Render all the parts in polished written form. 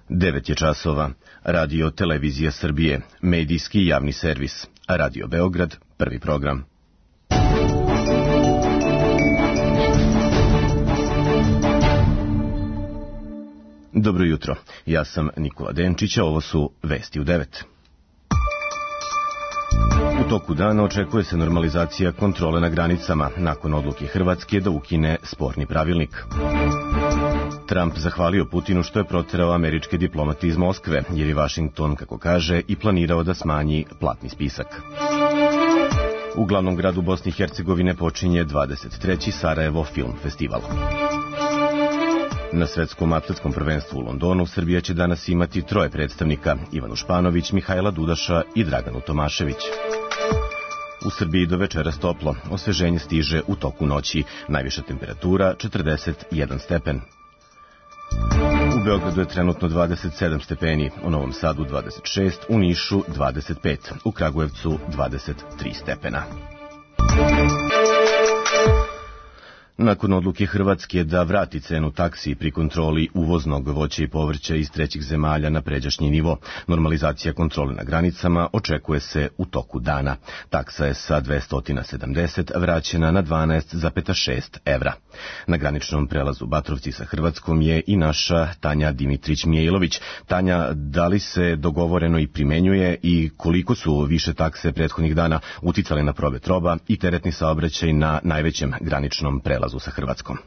9 je časova. Radio Televizija Srbije, medijski javni servis. Radio Beograd, prvi program. Dobro jutro, ja sam Nikola Denčić, a ovo su Vesti u 9. U toku dana očekuje se normalizacija kontrole na granicama nakon odluke Hrvatske da ukine sporni pravilnik. Trump zahvalio Putinu što je proterao američke diplomate iz Moskve, jer je Vašington, kako kaže, i planirao da smanji platni spisak. U glavnom gradu Bosne i Hercegovine počinje 23. Sarajevo Film Festival. Na svetskom atletskom prvenstvu u Londonu Srbija će danas imati 3 predstavnika: Ivanu Španović, Mihajla Dudaša i Draganu Tomašević. U Srbiji do večeras toplo, osveženje stiže u toku noći, najviša temperatura 41 stepen. U Beogradu je trenutno 27 stepeni, u Novom Sadu 26, u Nišu 25, u Kragujevcu 23 stepena. Nakon odluke Hrvatske da vrati cenu taksi pri kontroli uvoznog voća i povrća iz trećih zemalja na pređašnji nivo, normalizacija kontrole na granicama očekuje se u toku dana. Taksa je sa 270 vraćena na 12,6 evra. Na graničnom prelazu Batrovci sa Hrvatskom je i naša Tanja Dimitrić-Mijailović. Tanja, da li se dogovoreno i primenjuje i koliko su više takse prethodnih dana uticale na promet roba i teretni saobraćaj na najvećem graničnom prelazu sa Hrvatskom?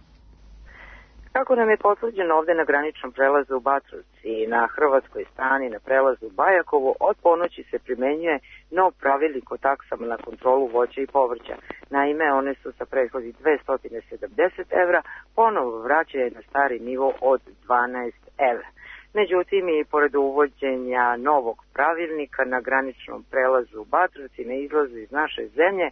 Kako nam je potvrđeno ovde na graničnom prelazu u Batrovci na hrvatskoj strani na prelazu Bajakovo, od ponoći se primenjuje nov pravilnik o taksama na kontrolu voća i povrća. Naime, one su sa prethodnih 270 evra ponovo vraćaju na stari nivo od 12 evra. Međutim, i pored uvođenja novog pravilnika na graničnom prelazu u Batrovci na izlazu iz naše zemlje,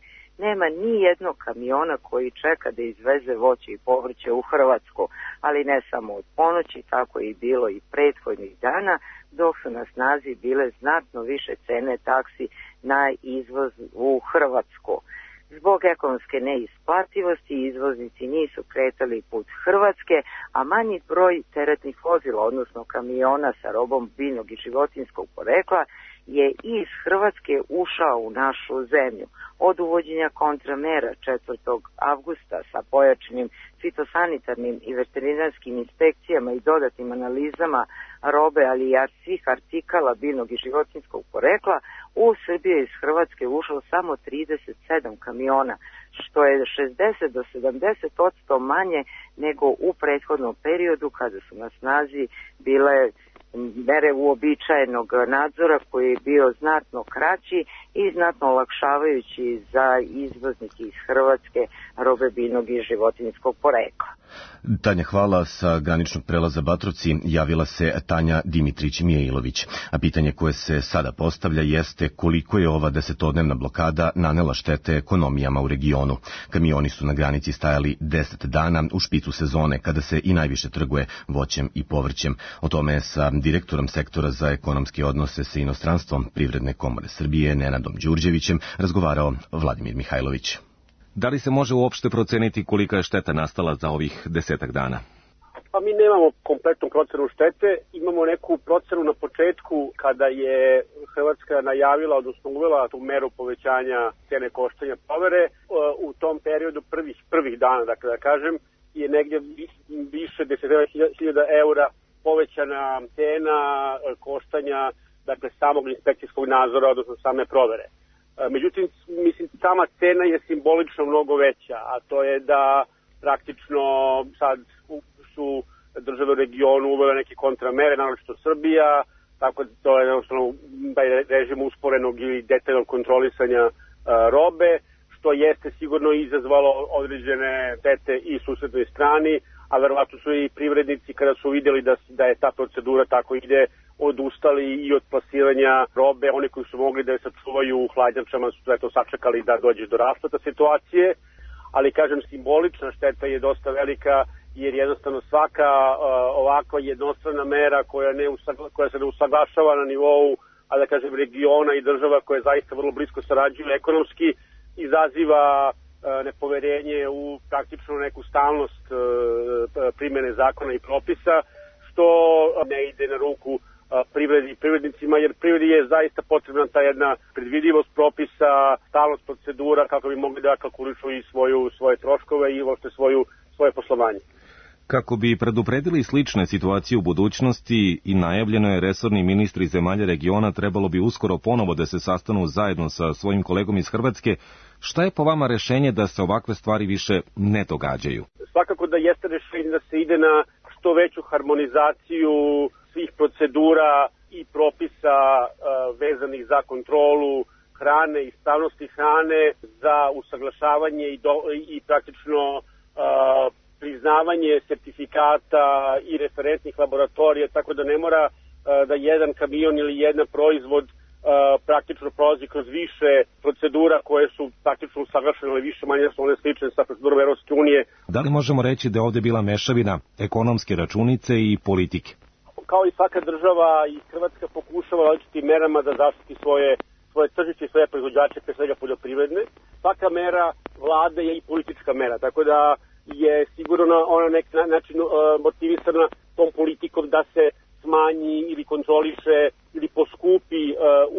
nema ni jednog kamiona koji čeka da izveze voće i povrće u Hrvatsku, ali ne samo od ponoći, tako je i bilo i prethodnih dana, dok su na snazi bile znatno više cene taksi na izvoz u Hrvatsku. Zbog ekonomske neisplativosti izvoznici nisu kretali put Hrvatske, a manji broj teretnih vozila, odnosno kamiona sa robom biljnog i životinjskog porekla, je iz Hrvatske ušao u našu zemlju. Od uvođenja kontramera 4. avgusta sa pojačanim fitosanitarnim i veterinarskim inspekcijama i dodatnim analizama robe, ali i svih artikala biljnog i životinjskog porekla, u Srbiju iz Hrvatske ušao samo 37 kamiona, što je 60 do 70% manje nego u prethodnom periodu kada su na snazi bile mere uobičajenog nadzora koji je bio znatno kraći i znatno olakšavajući za izvoznike iz Hrvatske robe biljnog i životinjskog porekla. Tanja, hvala. Sa graničnog prelaza Batrovci javila se Tanja Dimitrić-Mijailović. A pitanje koje se sada postavlja jeste koliko je ova 10-dnevna blokada nanela štete ekonomijama u regionu. Kamioni su na granici stajali 10 dana u špicu sezone kada se i najviše trguje voćem i povrćem. O tome je sa direktorom sektora za ekonomske odnose sa inostranstvom Privredne komore Srbije Nenadom Đurđevićem razgovarao Vladimir Mihajlović. Da li se može uopšte proceniti kolika je šteta nastala za ovih 10 dana? Pa mi nemamo kompletnu procenu štete, imamo neku procenu na početku kada je Hrvatska najavila, odnosno uvela tu meru povećanja cene koštanja provere. U tom periodu prvih dana, dakle da kažem, je negdje više 10.000 eura povećana cena koštanja, dakle samog inspekcijskog nadzora, odnosno same provere. Međutim, mislim, sama cena je simbolično mnogo veća, a to je da praktično sad su države u regionu uvele neke kontramere, naročito Srbija, tako da to je jednostavno režim usporenog ili detaljnog kontrolisanja robe, što jeste sigurno izazvalo određene štete i susednoj strani, a verovatno su i privrednici kada su vidjeli da je ta procedura tako ide, odustali i od plasiranja robe. Oni koji su mogli da je sačuvaju u hladnjačama su to sačekali da dođe do raspleta situacije, ali kažem, simbolična šteta je dosta velika, jer jednostavno svaka ovakva jednostrana mera koja se ne usaglašava na nivou, a da kažem, regiona i država koje zaista vrlo blisko sarađuju ekonomski, izaziva nepoverenje u praktično neku stalnost primjene zakona i propisa, što ne ide na ruku privredi i privrednicima, jer privredi je zaista potrebna ta jedna predvidivost propisa, stalnost procedura kako bi mogli da kalkulišu i svoje troškove i uopšte svoje poslovanje. Kako bi predupredili slične situacije u budućnosti i najavljeno je resorni ministri zemalja regiona trebalo bi uskoro ponovo da se sastanu zajedno sa svojim kolegom iz Hrvatske. Šta je po vama rešenje da se ovakve stvari više ne događaju? Svakako da jeste rešenje da se ide na što veću harmonizaciju svih procedura i propisa vezanih za kontrolu hrane i stavnosti hrane, za usaglašavanje i praktično priznavanje sertifikata i referentnih laboratorija, tako da ne mora da jedan kamion ili jedan proizvod praktično prolazi kroz više procedura koje su praktično usaglašene, ali više manje su one slične sa procedurom Evropske unije. Da li možemo reći da je ovde bila mešavina ekonomske računice i politike? Kao i svaka država, i Hrvatska pokušava različitim merama da zaštiti svoje tržište i svoje proizvođače, pre svega poljoprivredne. Svaka mera vlade je i politička mera, tako da je sigurno ona na neki način motivisana tom politikom da se smanji ili kontroliše ili poskupi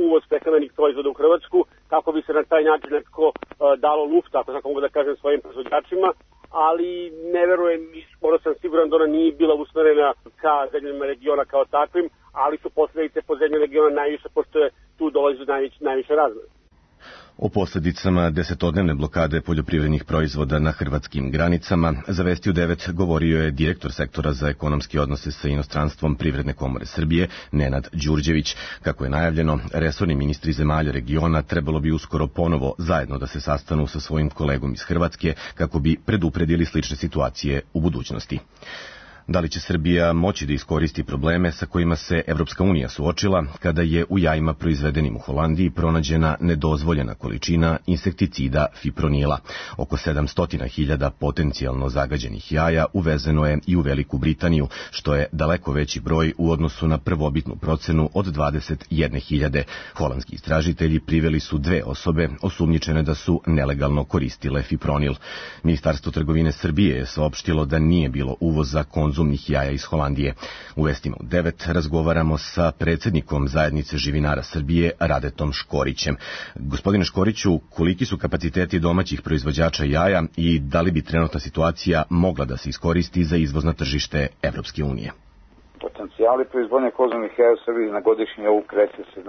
uvoz prehrambenih proizvoda u Hrvatsku, kako bi se na taj način nekako dalo lufta, ako tako mogu da kažem, svojim proizvođačima, ali ne verujem, skoro sam siguran da ona nije bila usmerena ka zemljama regiona kao takvim, ali su posledice po zemlje regiona najviše, pošto je tu dolazi najviše razvoja. O posljedicama desetodnevne blokade poljoprivrednih proizvoda na hrvatskim granicama za Vesti u 9 govorio je direktor sektora za ekonomske odnose sa inostranstvom Privredne komore Srbije, Nenad Đurđević. Kako je najavljeno, resorni ministri zemalja regiona trebalo bi uskoro ponovo zajedno da se sastanu sa svojim kolegom iz Hrvatske kako bi predupredili slične situacije u budućnosti. Da li će Srbija moći da iskoristi probleme sa kojima se Evropska unija suočila kada je u jajima proizvedenim u Holandiji pronađena nedozvoljena količina insekticida fipronila? Oko 700.000 potencijalno zagađenih jaja uvezeno je i u Veliku Britaniju, što je daleko veći broj u odnosu na prvobitnu procenu od 21.000. Holandski istražitelji priveli su 2 osobe osumnjičene da su nelegalno koristile fipronil. Ministarstvo trgovine Srbije je saopštilo da nije bilo uvoza konzumnih jaja iz Holandije. U Vestima u 9 razgovaramo sa predsjednikom Zajednice živinara Srbije, Radetom Škorićem. Gospodine Škoriću, koliki su kapaciteti domaćih proizvođača jaja i da li bi trenutna situacija mogla da se iskoristi za izvoz na tržište Evropske unije? Potencijali proizvodnje konzumnih jaja u Srbiji na godišnji nivou kreće se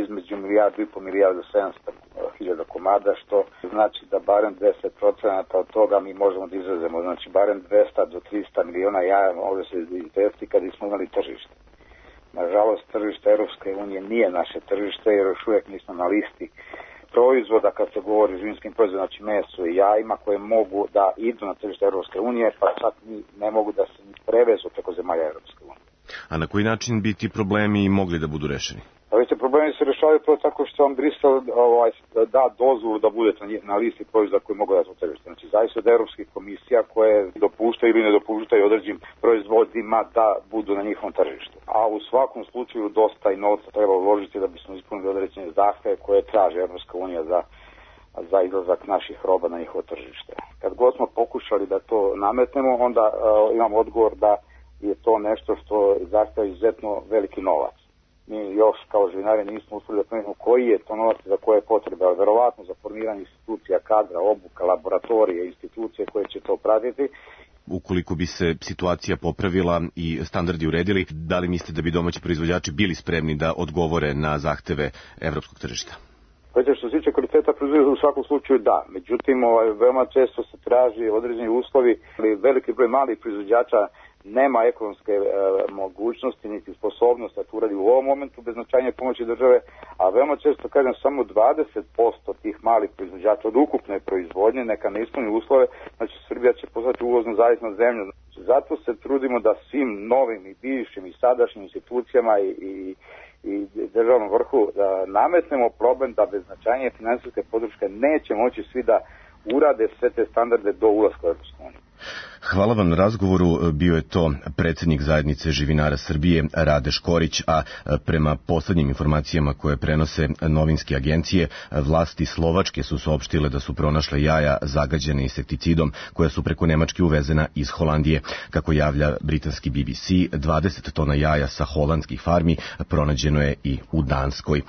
između 1,5 milijardu 700.000 komada, što znači da barem 10% od toga mi možemo da izvezemo, znači barem 200 do 300 miliona jaja može se izvesti kad smo imali tržište. Nažalost, tržište Evropske unije nije naše tržište jer još uvijek nismo na listi proizvoda kad se govori o živinskim proizvodima, znači meso i jajima koje mogu da idu na tržište Evropske unije, pa čak ne mogu da se prevezu preko zemalja Evropske unije. A na koji način bi ti problemi mogli da budu rešeni? Pa vidite, problemi se rešavaju tako što vam Brisel da dozvolu da budete na listi proizvoda koji mogu da su tržište. Znači, zavisno od Evropskih komisija koje dopuštaju ili ne dopuštaju određenim proizvodima da budu na njihovom tržištu. A u svakom slučaju dosta i novca treba uložiti da bismo ispunili određene zahteve koje traže Evropska unija za izlazak naših roba na njihovo tržište. Kad god smo pokušali da to nametnemo, onda imamo odgovor da je to nešto što zahteva izuzetno veliki novac. Mi još kao živinari nismo uspeli da promijenimo koji je to novac za koje potrebe, ali verovatno za formiranje institucija, kadra, obuka, laboratorije, institucije koje će to pratiti. Ukoliko bi se situacija popravila i standardi uredili, da li mislite da bi domaći proizvođači bili spremni da odgovore na zahteve evropskog tržišta? Što se tiče kvaliteta proizvoda, u svakom slučaju da. Međutim, veoma često se traži određeni uslovi, ali veliki broj malih proizvođača nema ekonomske mogućnosti niti sposobnost da to uradi u ovom momentu bez značajne pomoći države, a veoma često kažem samo 20% tih malih proizvođača od ukupne proizvodnje neka ne ispuni uslove, znači Srbija će postati uvozno zavisna zemlja. Zato se trudimo da svim novim i bivšim i sadašnjim institucijama i državnom vrhu da nametnemo problem da bez značajnije finansijske podrške neće moći svi da urade sve te standarde do ulaska u Evropsku uniju. Hvala vam na razgovoru. Bio je to predsjednik zajednice živinara Srbije Rade Škorić, a prema poslednjim informacijama koje prenose novinske agencije, vlasti Slovačke su saopštile da su pronašle jaja zagađene insekticidom koja su preko Nemačke uvezena iz Holandije. Kako javlja britanski BBC, 20 tona jaja sa holandskih farmi pronađeno je i u Danskoj.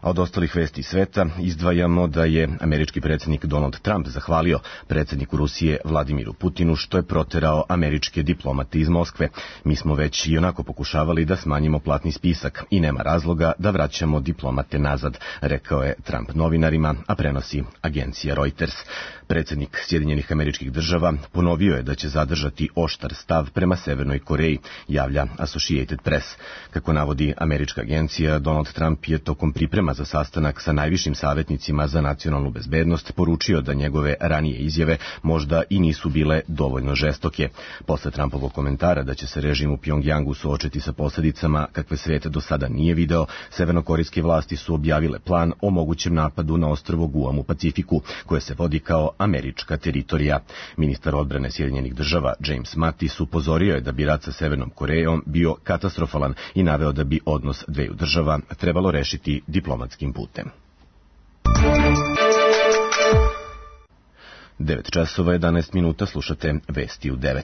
A od ostalih vesti sveta izdvajamo da je američki predsjednik Donald Trump zahvalio predsjedniku Rusije Vladimiru Putinu što je proterao američke diplomate iz Moskve. Mi smo već i onako pokušavali da smanjimo platni spisak i nema razloga da vraćamo diplomate nazad, rekao je Trump novinarima, a prenosi agencija Reuters. Predsjednik Sjedinjenih Američkih Država ponovio je da će zadržati oštar stav prema Severnoj Koreji, javlja Associated Press. Kako navodi američka agencija, Donald Trump je tokom priprema za sastanak sa najvišim savjetnicima za nacionalnu bezbednost poručio da njegove ranije izjave možda i nisu bile dovoljno žestoke. Posle Trumpovog komentara da će se režim u Pjongjangu suočiti sa posljedicama kakve svijet do sada nije video, severnokorejske vlasti su objavile plan o mogućem napadu na ostrvo Guam u Pacifiku, koje se vodi kao američka teritorija. Ministar odbrane Sjedinjenih Država James Mattis upozorio je da bi rat sa Severnom Korejom bio katastrofalan i naveo da bi odnos dveju država trebalo rešiti diplomatskim putem. 9 časova 11 minuta, slušate Vesti u 9.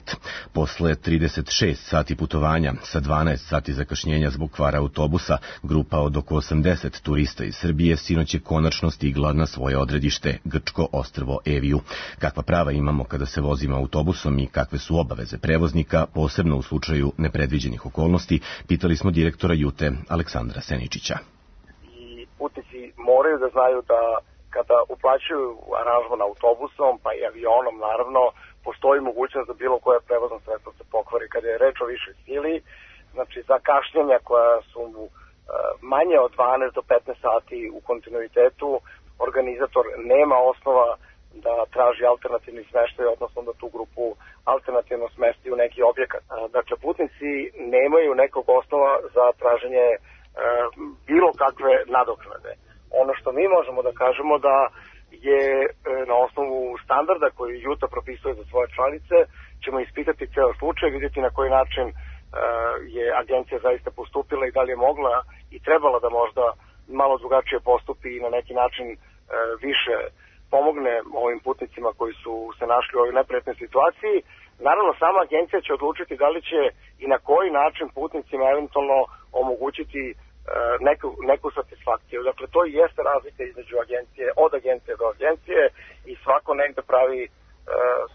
Posle 36 sati putovanja sa 12 sati zakašnjenja zbog kvara autobusa, grupa od oko 80 turista iz Srbije sinoć je konačno stigla na svoje odredište, grčko ostrvo Eviju. Kakva prava imamo kada se vozimo autobusom i kakve su obaveze prevoznika, posebno u slučaju nepredviđenih okolnosti, pitali smo direktora Jute Aleksandra Seničića. I putnici moraju da znaju da kada uplaćuju aranžman autobusom, pa i avionom, naravno, postoji mogućnost da bilo koje prevozno sredstvo se pokvari. Kada je reč o višoj sili, znači za kašnjenja koja su manje od 12 do 15 sati u kontinuitetu, organizator nema osnova da traži alternativni smeštaj, odnosno da tu grupu alternativno smesti u neki objekat. Dakle, putnici nemaju nekog osnova za traženje bilo kakve nadoknade. Ono što mi možemo da kažemo da je na osnovu standarda koji Juta propisuje za svoje članice, ćemo ispitati ceo slučaj, vidjeti na koji način je agencija zaista postupila i da li je mogla i trebala da možda malo drugačije postupi i na neki način više pomogne ovim putnicima koji su se našli u ovoj neprijatnoj situaciji. Naravno, sama agencija će odlučiti da li će i na koji način putnicima eventualno omogućiti neku satisfakciju. Dakle, to i jeste razlika između agencije, od agencije do agencije i svako negde pravi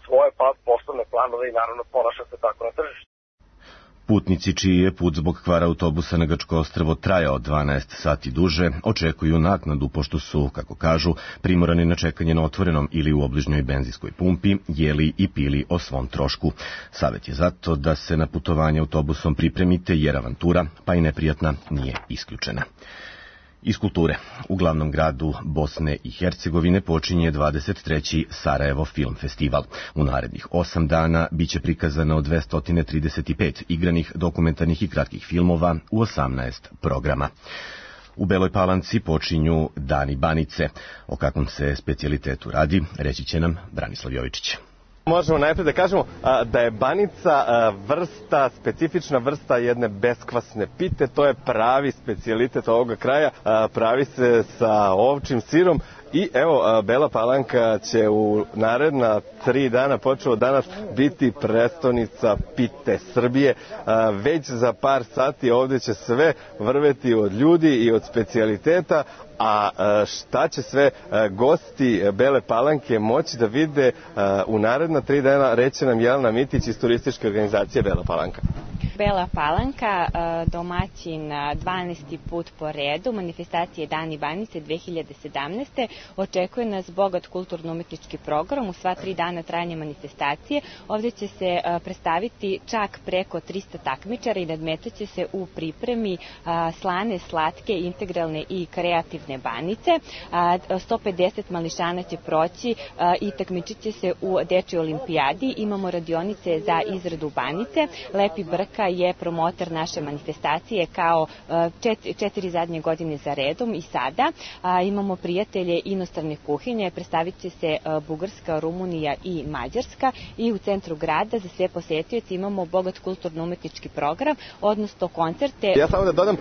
svoje poslovne planove i naravno ponaša se tako na tržištu. Putnici čiji je put zbog kvara autobusa na grčko ostrvo trajao 12 sati duže, očekuju naknadu pošto su, kako kažu, primorani na čekanje na otvorenom ili u obližnjoj benzinskoj pumpi, jeli i pili o svom trošku. Savjet je zato da se na putovanje autobusom pripremite jer avantura, pa i neprijatna, nije isključena. Iz kulture. U glavnom gradu Bosne i Hercegovine počinje 23. Sarajevo Film Festival. U narednih 8 dana biće prikazano 235 igranih, dokumentarnih i kratkih filmova u 18 programa. U Beloj Palanci počinju Dani Banice. O kakvom se specijalitetu radi, reći će nam Branislav Jovičić. Možemo najprije da kažemo da je banica specifična vrsta jedne beskvasne pite, to je pravi specijalitet ovoga kraja, pravi se sa ovčjim sirom i evo Bela Palanka će u naredna 3 dana, počeo od danas, biti prestonica pite Srbije. Već za par sati ovdje će sve vrveti od ljudi i od specijaliteta, a šta će sve gosti Bele Palanke moći da vide u naredna 3 dana, reće nam Jelena Mitić iz turističke organizacije Bela Palanka. Bela Palanka, domaćin 12. put po redu manifestacije Dani Banice 2017. Očekuje nas bogat kulturno-umetnički program u sva 3 dana trajanja manifestacije. Ovdje će se predstaviti čak preko 300 takmičara i nadmetaće se u pripremi slane, slatke, integralne i kreativne banice. 150 mališana će proći i takmičit će se u dečjoj olimpijadi. Imamo radionice za izradu banice, lepi brka je promotor naše manifestacije kao 4 zadnje godine za redom i sada imamo prijatelje inostrane kuhinje, predstavit će se Bugarska, Rumunija i Mađarska i u centru grada za sve posetioce imamo bogat kulturno-umetnički program, odnosno koncerte. Ja samo da dodam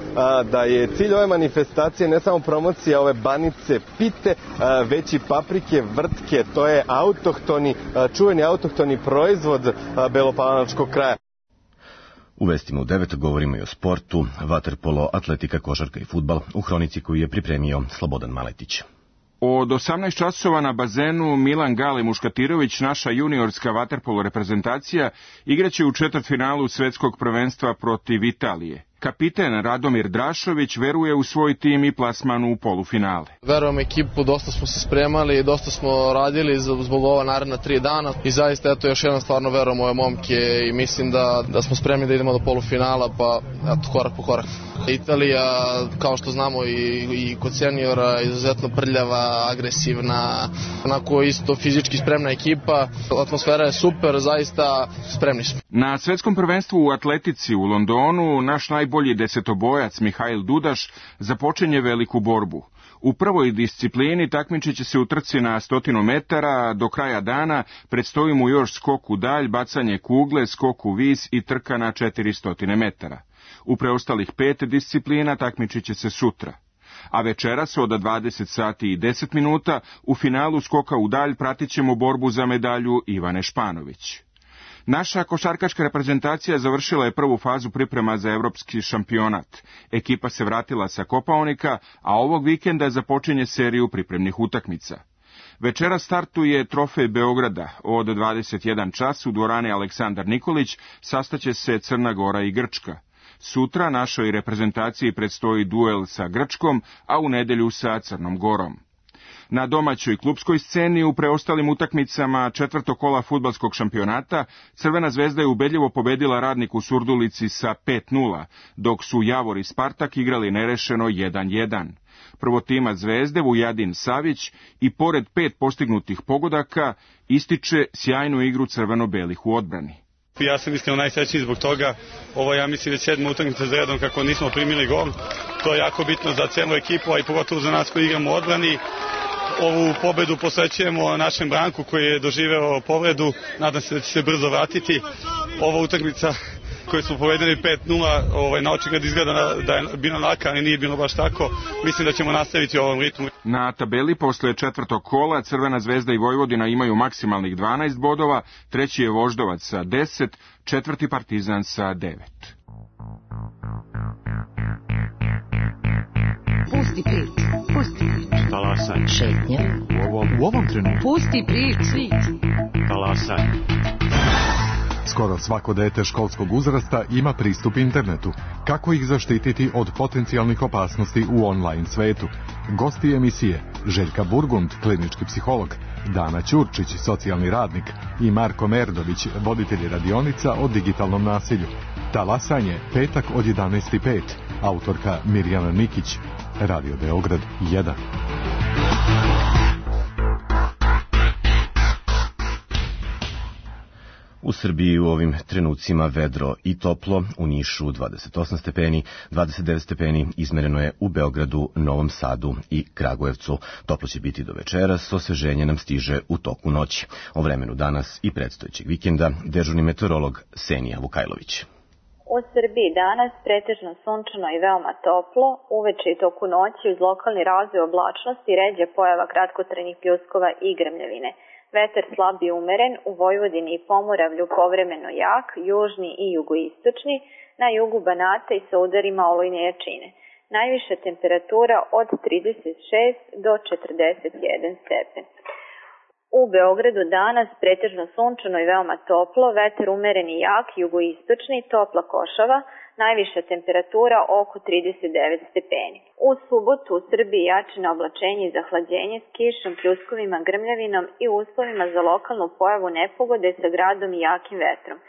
da je cilj ove manifestacije ne samo promocija ove banice pite, već i paprike, vrtke, to je čuveni autohtoni proizvod belopalanačkog kraja. U vestima u 9 govorimo i o sportu, vaterpolo, atletika, košarka i fudbal u hronici koju je pripremio Slobodan Maletić. Od 18 časova na bazenu Milan Gale Muškatirović, naša juniorska vaterpolo reprezentacija, igraće u četvrtfinalu svetskog prvenstva protiv Italije. Kapiten Radomir Drašović veruje u svoj tim i plasmanu u polufinale. Verujem ekipu, dosta smo se spremali, dosta smo radili zbog ova naredna 3 dana i zaista eto još jedan stvarno verujem u ove momke i mislim da smo spremni da idemo do polufinala, pa eto korak po korak. Italija, kao što znamo i kod seniora, izuzetno prljava, agresivna, onako isto fizički spremna ekipa. Atmosfera je super, zaista spremni smo. Na svetskom prvenstvu u atletici u Londonu naš najbolji desetobojac Mihail Dudaš započinje veliku borbu. U prvoj disciplini takmičit će se u trci na 100 metara, do kraja dana predstoji mu još skok u dalj, bacanje kugle, skok u vis i trka na 400 metara. U preostalih 5 disciplina takmičit će se sutra. A večeras od 20 sati i 10 minuta u finalu skoka u dalj pratit ćemo borbu za medalju Ivane Španović. Naša košarkaška reprezentacija završila je prvu fazu priprema za evropski šampionat. Ekipa se vratila sa Kopaonika, a ovog vikenda započinje seriju pripremnih utakmica. Večera startuje Trofej Beograda. Od 21 čas u dvorani Aleksandar Nikolić sastaće se Crna Gora i Grčka. Sutra našoj reprezentaciji predstoji duel sa Grčkom, a u nedelju sa Crnom Gorom. Na domaćoj klupskoj sceni u preostalim utakmicama četvrtog kola fudbalskog šampionata Crvena zvezda je ubedljivo pobedila Radnik u Surdulici sa 5:0, dok su Javor i Spartak igrali nerešeno 1:1. Prvotimac Zvezde Vujadin Savić i pored 5 postignutih pogodaka ističe sjajnu igru crveno-belih u odbrani. Ja sam iskreno najsrećniji zbog toga. Ovo je, ja mislim, već 7. utakmica za redom kako nismo primili gol. To je jako bitno za celu ekipu, a i pogotovo za nas koji igramo u odbrani. Ovu pobedu posvećujemo našem Branku koji je doživeo povredu. Nadam se da će se brzo vratiti. Ova utakmica koju smo povedeli 5:0, na očigled izgleda da je bilo laka, ali nije bilo baš tako. Mislim da ćemo nastaviti u ovom ritmu. Na tabeli posle četvrtog kola Crvena zvezda i Vojvodina imaju maksimalnih 12 bodova, treći je Voždovac sa 10, četvrti Partizan sa 9. Pusti priču, pusti priču. Talasaj. Šetnja. U ovom trenutku. Pusti priču. Talasaj. Skoro svako dete školskog uzrasta ima pristup internetu. Kako ih zaštititi od potencijalnih opasnosti u online svetu? Gosti emisije Željka Burgund, klinički psiholog, Dana Ćurčić, socijalni radnik i Marko Merdović, voditelji radionica o digitalnom nasilju. Talasanje, petak od 11:05. Autorka Mirjana Nikić. Radio Beograd 1. U Srbiji u ovim trenucima vedro i toplo, u Nišu 28 stepeni, 29 stepeni izmereno je u Beogradu, Novom Sadu i Kragujevcu. Toplo će biti do večeras, osveženje nam stiže u toku noći. O vremenu danas i predstojećeg vikenda dežurni meteorolog Senija Vukajlović. U Srbiji danas pretežno sunčano i veoma toplo, uveče i toku noći uz lokalni razvoj oblačnosti ređa pojava kratkotrajnih pljuskova i grmljavine. Vetar slab i umeren, u Vojvodini i Pomoravlju povremeno jak, južni i jugoistočni, na jugu Banata i sa udarima olujne jačine. Najviša temperatura od 36 do 41 stepen. U Beogradu danas pretežno sunčano i veoma toplo, vetar umeren i jak, jugoistočni, topla košava, najviša temperatura oko 39 stepeni. U subotu u Srbiji jačino oblačenje i zahlađenje s kišom, pljuskovima, grmljavinom i uslovima za lokalnu pojavu nepogode sa gradom i jakim vetrom.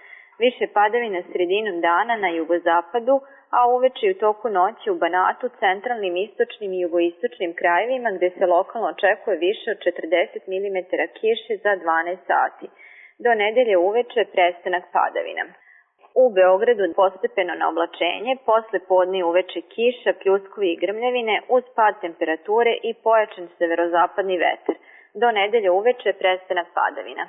Više padavina sredinom dana na jugozapadu, a uveče i u toku noći u Banatu, centralnim, istočnim i jugoistočnim krajevima gde se lokalno očekuje više od 40 mm kiše za 12 sati. Do nedelje uveče prestanak padavina. U Beogradu postepeno na oblačenje, posle podne i uveče kiša, pljuskovi i grmljavine uz pad temperature i pojačan severozapadni vetar. Do nedelje uveče prestanak padavina.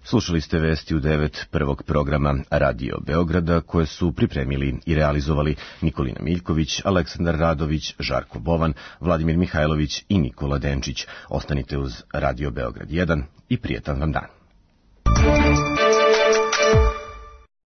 Slušali ste vesti u 9 prvog programa Radio Beograda koje su pripremili i realizovali Nikolina Miljković, Aleksandar Radović, Žarko Bovan, Vladimir Mihajlović i Nikola Denčić. Ostanite uz Radio Beograd 1 i prijetan vam dan.